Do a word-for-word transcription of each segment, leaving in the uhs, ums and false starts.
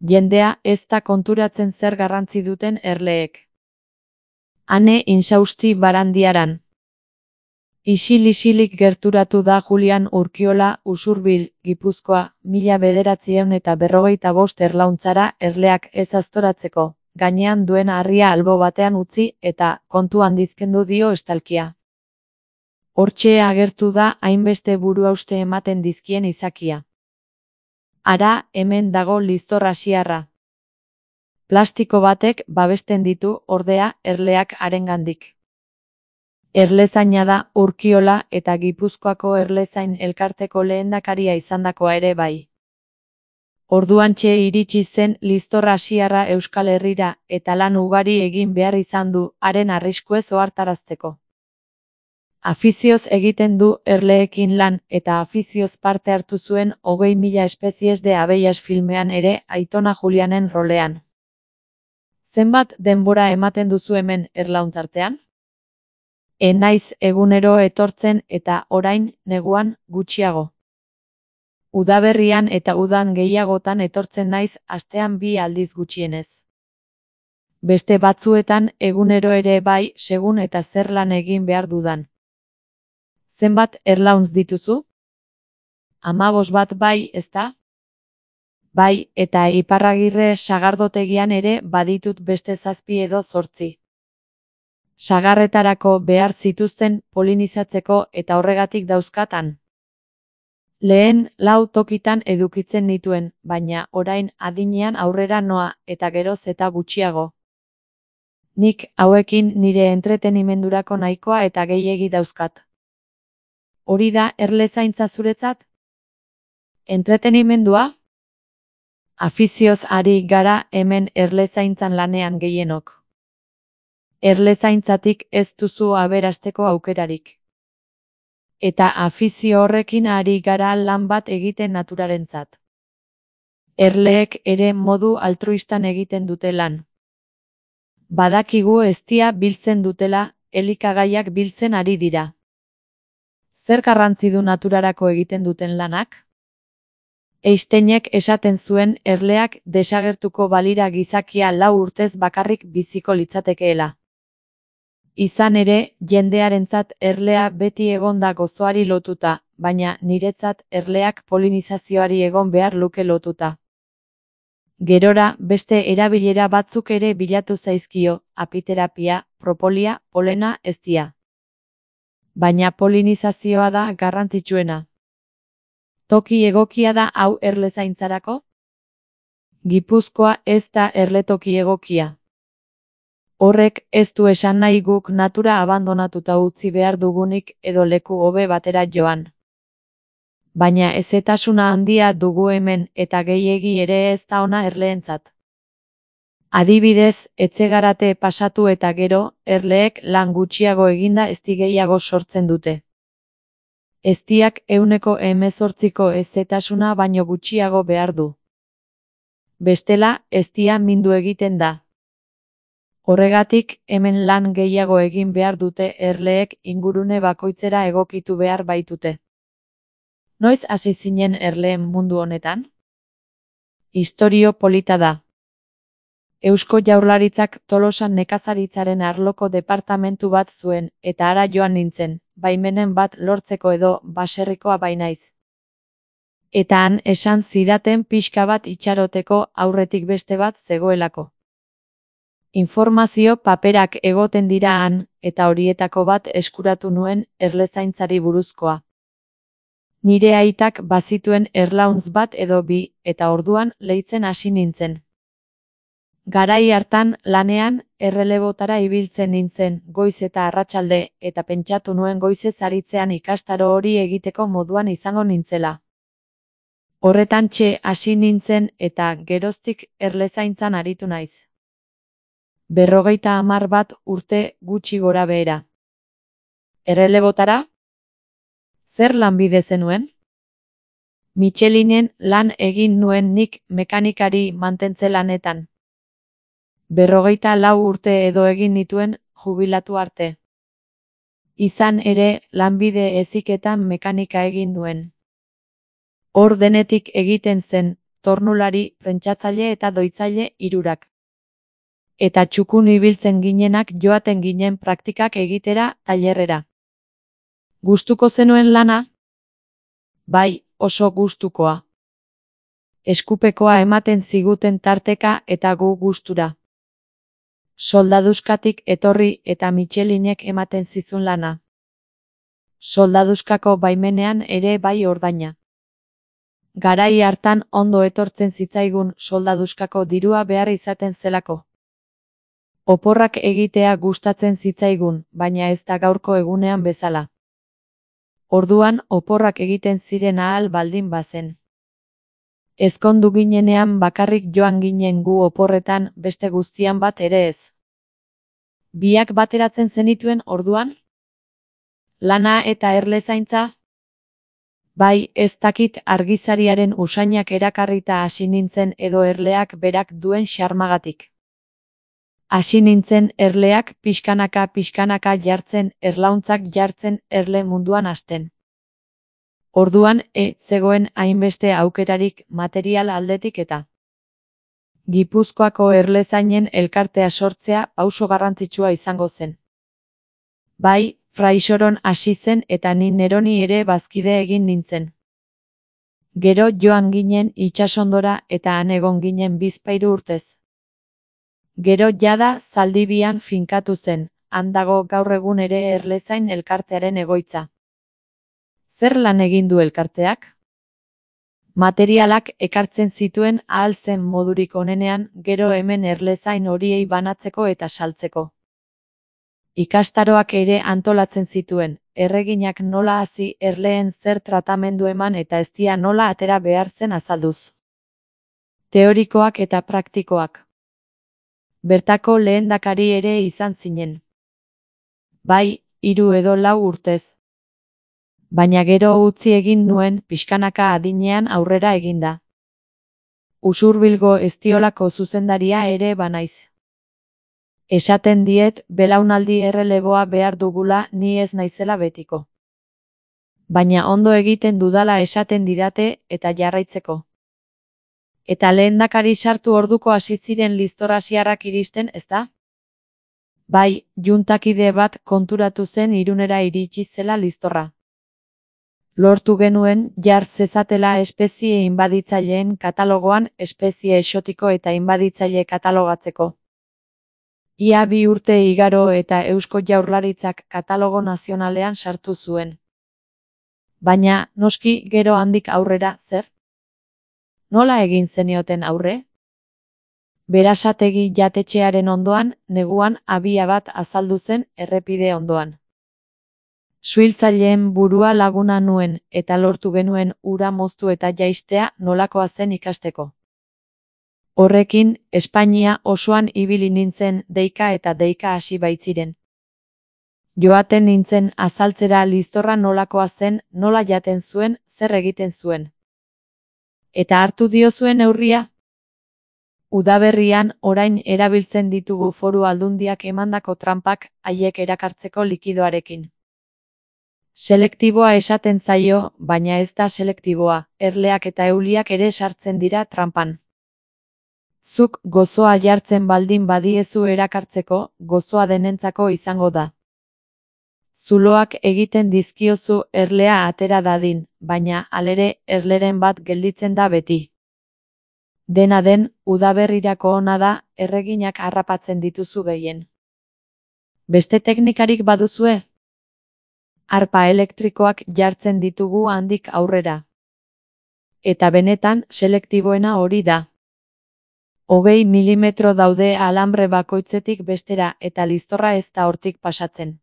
Jendea ez da konturatzen zer garrantzi duten erleek. Ane insausti Barandiaran. Isil-isilik gerturatu da Julian Urkiola Usurbil, Gipuzkoa, mila bederatziehun eta berrogeita bost erlauntzara erleak ez aztoratzeko, gainean duen harria albo batean utzi eta kontu handizkendu dio estalkia. Hortxe agertu da hainbeste buruhauste ematen dizkien izakia. Ara, hemen dago liztor asiarra. Plastiko batek babesten ditu, ordea, erleak harengandik. Erlezaina da Urkiola eta Gipuzkoako Erlezain elkarteko lehendakaria izandakoa ere bai. Orduantxe iritsi zen liztor asiarra Euskal Herrira eta lan ugari egin behar izan du haren arriskuez ohartarazteko. Afizioz egiten du erleekin lan eta afizioz parte hartu zuen hogei mila espezies de abellas filmean ere Aitona Julianen rolean. Zenbat denbora ematen duzu hemen erlauntzartean? E naiz egunero etortzen eta orain neguan gutxiago. Udaberrian eta udan gehiagotan etortzen naiz astean bi aldiz gutxienez. Beste batzuetan egunero ere bai segun eta zer lan egin behar dudan. Zenbat erlauntz dituzu? Hamabos bat bai, ezta? Bai, eta Iparragirre sagardotegian ere baditut beste zazpi edo zortzi. Sagarretarako behar zituzten polinizatzeko eta horregatik dauzkatan. Lehen lau tokitan edukitzen nituen, baina orain adinean aurrera noa eta geroz eta gutxiago. Nik hauekin nire entretenimendurako nahikoa eta gehiegi dauzkat. Hori da erlezaintza zuretzat? Entretenimendua? Afizioz ari gara hemen erlezaintzan lanean gehienok. Erlezaintzatik ez duzu aberasteko aukerarik. Eta afizio horrekin ari gara lan bat egiten naturarentzat. Erleek ere modu altruistan egiten dute lan. Badakigu eztia biltzen dutela, elikagaiak biltzen ari dira. Zer garrantzi du naturarako egiten duten lanak? Einsteinek esaten zuen erleak desagertuko balira gizakia lau urtez bakarrik biziko litzatekeela. Izan ere, jendearentzat erlea beti egon da gozoari lotuta, baina niretzat erleak polinizazioari egon behar luke lotuta. Gerora, beste erabilera batzuk ere bilatu zaizkio, apiterapia, propolia, polena, eztia. Baina polinizazioa da garrantzitsuena. Toki egokia da hau erlezaintzarako? Gipuzkoa ez da erletoki egokia. Horrek ez du esan nahi guk natura abandonatuta utzi behar dugunik edo leku hobe batera joan. Baina hezetasuna handia dugu hemen eta gehiegi ere ez da ona erleentzat. Adibidez, etxegarate pasatu eta gero, erleek lan gutxiago eginda ezti gehiago sortzen dute. Eztiak ehuneko hemezortziko hezetasuna baino gutxiago behar du. Bestela, eztia mindu egiten da. Horregatik, hemen lan gehiago egin behar dute erleek ingurune bakoitzera egokitu behar baitute. Noiz hasi zinen erleen mundu honetan? Istorio polita da. Eusko Jaurlaritzak Tolosan nekazaritzaren arloko departamentu bat zuen eta hara joan nintzen, baimenen bat lortzeko edo baserrikoa bainaiz. Eta han esan zidaten pixka bat itxaroteko aurretik beste bat zegoelako. Informazio paperak egoten dira han, eta horietako bat eskuratu nuen erlezaintzari buruzkoa. Nire aitak bazituen erlauntz bat edo bi, eta orduan leitzen hasi nintzen. Garai hartan lanean errelebotara ibiltzen nintzen, goiz eta arratsalde, eta pentsatu nuen goizez aritzean ikastaro hori egiteko moduan izango nintzela. Horretantxe hasi nintzen eta geroztik erlezaintzan aritu naiz. Berrogeita hamar bat urte gutxi gora behera. Errelebotara? Zer lanbide zenuen? Michelinen lan egin nuen nik mekanikari mantentze lanetan. Berrogeita lau urte edo egin nituen jubilatu arte. Izan ere, lanbide heziketan mekanika egin nuen. Hor denetik egiten zen, tornulari, prentsatzale eta doitzaile hirurak. Eta txukun ibiltzen ginenak joaten ginen praktikak egitera tailerrera. Gustuko zenuen lana? Bai, oso gustukoa. Eskupekoa ematen ziguten tarteka eta gu gustura. Soldaduskatik etorri eta Michelinek ematen zizun lana. Soldaduskako baimenean ere bai ordaina. Garai hartan ondo etortzen zitzaigun soldaduskako dirua behar izaten zelako. Oporrak egitea gustatzen zitzaigun, baina ez da gaurko egunean bezala. Orduan oporrak egiten ziren ahal baldin bazen. Ezkondu ginenean bakarrik joan ginen gu oporretan, beste guztian bat ere ez. Biak bateratzen zenituen orduan? Lana eta erlezaintza? Bai, ez dakit argizariaren usainak erakarrita hasi nintzen edo erleak berak duen xarmagatik. Hasi nintzen erleak pixkanaka pixkanaka jartzen, erlauntzak jartzen, erle munduan hasten. Orduan e zegoen hainbeste aukerarik material aldetik eta Gipuzkoako erlezainen elkartea sortzea pauso garrantzitsua izango zen. Bai, Fraixoron hasi zen eta ni neroni ere bazkide egin nintzen. Gero joan ginen itsasondora eta han egon ginen bizpahiru urtez. Gero jada Zaldibian finkatu zen, han dago gaur egun ere erlezain elkartearen egoitza. Zer lan egin du elkarteak? Materialak ekartzen zituen ahal zen modurik onenean, gero hemen erlezain horiei banatzeko eta saltzeko. Ikastaroak ere antolatzen zituen, erreginak nola hasi, erleen zer tratamendu eman eta eztia nola atera behar zen azalduz. Teorikoak eta praktikoak. Bertako lehendakari ere izan zinen. Bai, hiru edo lau urtez. Baina gero utzi egin nuen pixkanaka adinean aurrera eginda. Usurbilgo Eztiolako zuzendaria ere banaiz. Esaten diet, belaunaldi erreleboa behar dugula, ni ez naizela betiko. Baina ondo egiten dudala esaten didate eta jarraitzeko. Eta lehendakari sartu orduko hasi ziren listorrasiarrak iristen, ezta? Bai, juntakide bat konturatu zen Irunera iritsi zela listorra. Lortu genuen jar zezatela espezie inbaditzaileen katalogoan espezie exotiko eta inbaditzaile katalogatzeko. Ia bi urte igaro eta Eusko Jaurlaritzak katalogo nazionalean sartu zuen. Baina, noski, gero handik aurrera, zer? Nola egin zenioten aurre? Berasategi jatetxearen ondoan, neguan abia bat azaldu zen errepide ondoan. Suhiltzaileen burua laguna nuen eta lortu genuen ura moztu eta jaistea nolakoa zen ikasteko. Horrekin, Espainia osoan ibili nintzen deika eta deika hasi baitziren. Joaten nintzen azaltzera listorra nolakoa zen, nola jaten zuen, zer egiten zuen. Eta hartu diozuen neurria? Udaberrian orain erabiltzen ditugu foru aldundiak emandako tranpak haiek erakartzeko likidoarekin. Selektiboa esaten zaio, baina ez da selektiboa, erleak eta euliak ere sartzen dira tranpan. Zuk gozoa jartzen baldin badiezu erakartzeko, gozoa denentzako izango da. Zuloak egiten dizkiozu erlea atera dadin, baina halere erleren bat gelditzen da beti. Dena den, udaberrirako ona da, erreginak harrapatzen dituzu gehien. Beste teknikarik baduzue? Arpa elektrikoak jartzen ditugu handik aurrera. Eta benetan, selektiboena hori da. Hogei milimetro daude alambre bakoitzetik bestera eta listorra ez da hortik pasatzen.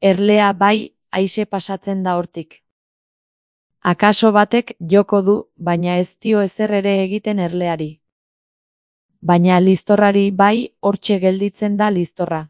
Erlea bai, haize pasatzen da hortik. Akaso batek joko du, baina ez dio ezer ere egiten erleari. Baina listorrari bai, hortxe gelditzen da listorra.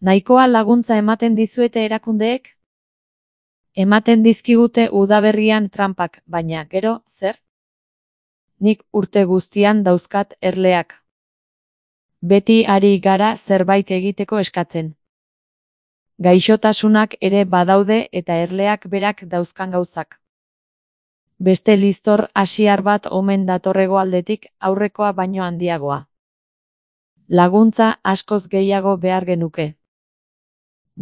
Nahikoa laguntza ematen dizuete erakundeek? Ematen dizkigute udaberrian tranpak, baina gero, zer? Nik urte guztian dauzkat erleak. Beti ari gara zerbait egiteko eskatzen. Gaixotasunak ere badaude eta erleak berak dauzkan gauzak. Beste liztor asiar bat omen datorrego aldetik, aurrekoa baino handiagoa. Laguntza askoz gehiago behar genuke.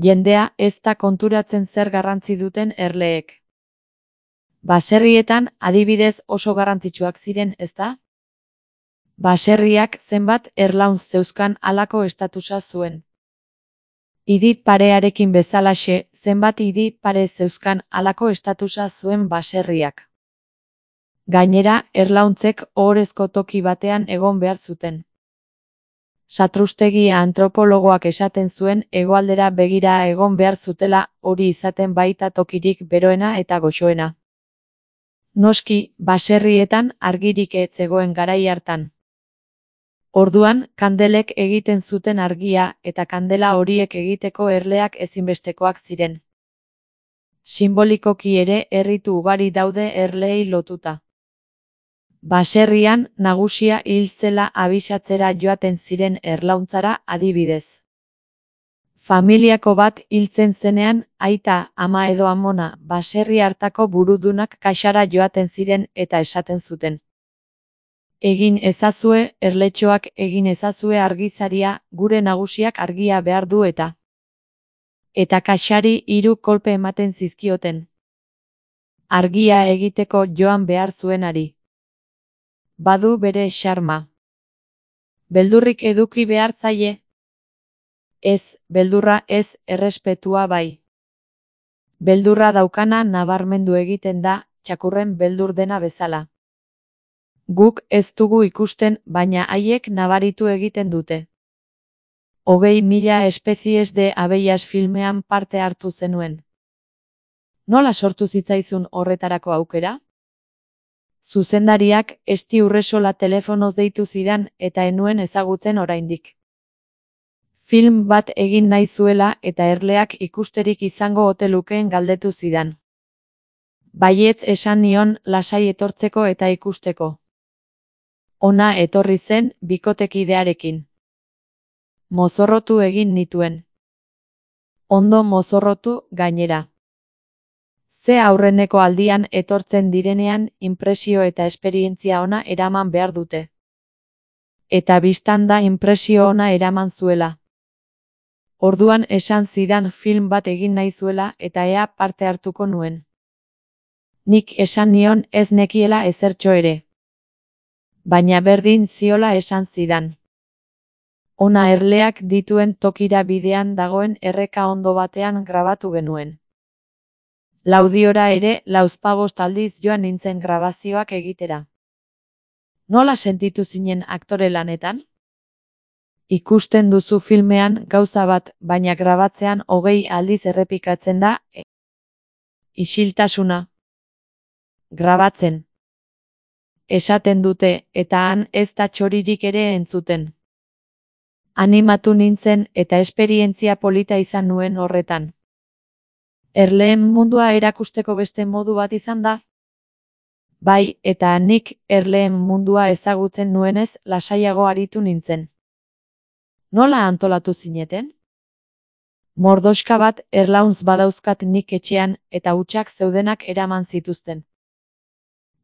Jendea ez da konturatzen zer garrantzi duten erleek. Baserrietan adibidez oso garrantzitsuak ziren, ezta? Baserriak zenbat erlauntz zeuzkan halako estatusa zuen. Idi parearekin bezalaxe, zenbat idi pare zeuzkan halako estatusa zuen baserriak. Gainera, erlauntzek ohorezko toki batean egon behar zuten. Satrustegi antropologoak esaten zuen hegoaldera begira egon behar zutela, hori izaten baita tokirik beroena eta goxoena. Noski, baserrietan argirik ez zegoen garai hartan. Orduan, kandelek egiten zuten argia eta kandela horiek egiteko erleak ezinbestekoak ziren. Sinbolikoki ere erritu ugari daude erleei lotuta. Baserrian nagusia hil zela abisatzera joaten ziren erlauntzara adibidez. Familiako bat hiltzen zenean, aita, ama edo amona, baserri hartako burudunak kaxara joaten ziren eta esaten zuten. Egin ezazue, erletxoak egin ezazue argizaria, gure nagusiak argia behar du eta. Eta kaxari hiru kolpe ematen zizkioten. Argia egiteko joan behar zuenari. Badu bere xarma. Beldurrik eduki behar zaie? Ez, beldurra ez, errespetua bai. Beldurra daukana nabarmendu egiten da, txakurren beldur dena bezala. Guk ez dugu ikusten, baina haiek nabaritu egiten dute. Hogei mila espezies de abellas filmean parte hartu zenuen. Nola sortu zitzaizun horretarako aukera? Zuzendariak Esti Urresola telefonoz deitu zidan eta enuen ezagutzen oraindik. Film bat egin nahi zuela eta erleak ikusterik izango ote lukeen galdetu zidan. Baietz esan nion lasai etortzeko eta ikusteko. Ona etorri zen bikotekidearekin. Mozorrotu egin nituen. Ondo mozorrotu gainera. Ze aurreneko aldian etortzen direnean inpresio eta esperientzia ona eraman behar dute. Eta bistan da inpresio ona eraman zuela. Orduan esan zidan film bat egin nahi zuela eta ea parte hartuko nuen. Nik esan nion ez nekiela ezertxo ere. Baina berdin ziola esan zidan. Ona erleak dituen tokira bidean dagoen erreka ondo batean grabatu genuen. Laudiora ere lauzpabost aldiz joan nintzen grabazioak egitera. Nola sentitu zinen aktore lanetan? Ikusten duzu filmean gauza bat, baina grabatzean hogei aldiz errepikatzen da. E Isiltasuna. Grabatzen. Esaten dute, eta han ez da txoririk ere entzuten. Animatu nintzen eta esperientzia polita izan nuen horretan. Erleen mundua erakusteko beste modu bat izan da? Bai, eta nik erleen mundua ezagutzen nuenez lasaiago aritu nintzen. Nola antolatu zineten? Mordoxka bat erlauntz badauzkat nik etxean eta hutsak zeudenak eraman zituzten.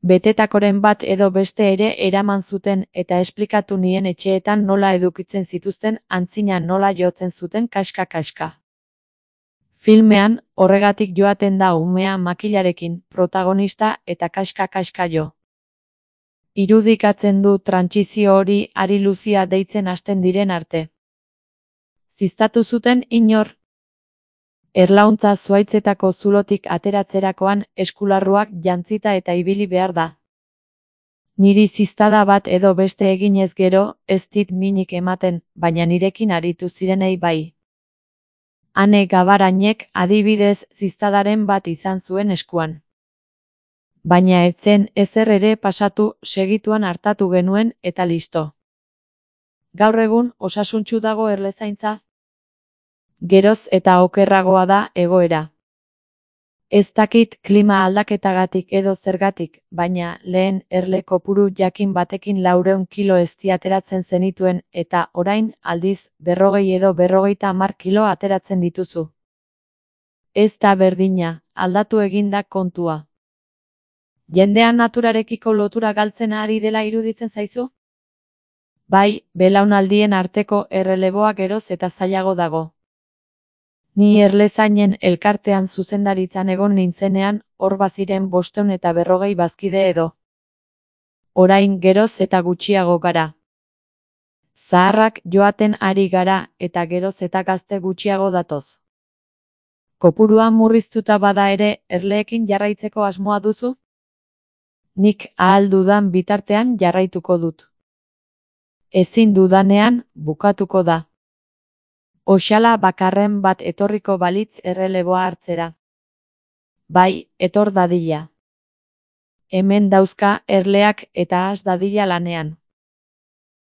Betetakoren bat edo beste ere eraman zuten eta esplikatu nien etxeetan nola edukitzen zituzten antzina nola jotzen zuten kaska-kaska. Filmean, horregatik joaten da umea makilarekin, protagonista eta kaska-kaska jo. Irudikatzen du trantsizio hori Ari Luzia deitzen hasten diren arte. Ziztatu zuten inor? Erlauntza zuhaitzetako zulotik ateratzerakoan eskularruak jantzita eta ibili behar da. Niri ziztada bat edo beste eginez gero, ez dit minik ematen, baina nirekin aritu zirenei bai. Ane Gabarainek adibidez ziztadaren bat izan zuen eskuan. Baina etzen ezer ere pasatu, segituan hartatu genuen eta listo. Gaur egun osasuntsu dago erlezaintza? Geroz eta okerragoa da egoera. Ez dakit klima aldaketagatik edo zergatik, baina lehen erle kopuru jakin batekin laurehun kilo ezti ateratzen zenituen eta orain aldiz berrogei edo berrogeita hamar kilo ateratzen dituzu. Ez da berdina, aldatu eginda kontua. Jendean naturarekiko lotura galtzen ari dela iruditzen zaizu? Bai, belaunaldien arteko erreleboa geroz eta zailago dago. Ni erlezainen elkartean zuzendaritzan egon nintzenean, hor baziren bostehun eta berrogei bazkide edo. Orain geroz eta gutxiago gara. Zaharrak joaten ari gara eta geroz eta gazte gutxiago datoz. Kopurua murriztuta bada ere, erleekin jarraitzeko asmoa duzu? Nik ahal dudan bitartean jarraituko dut. Ezin dudanean, bukatuko da. Oxala bakarren bat etorriko balitz erreleboa hartzera. Bai, etor dadila. Hemen dauzka erleak eta has dadila lanean.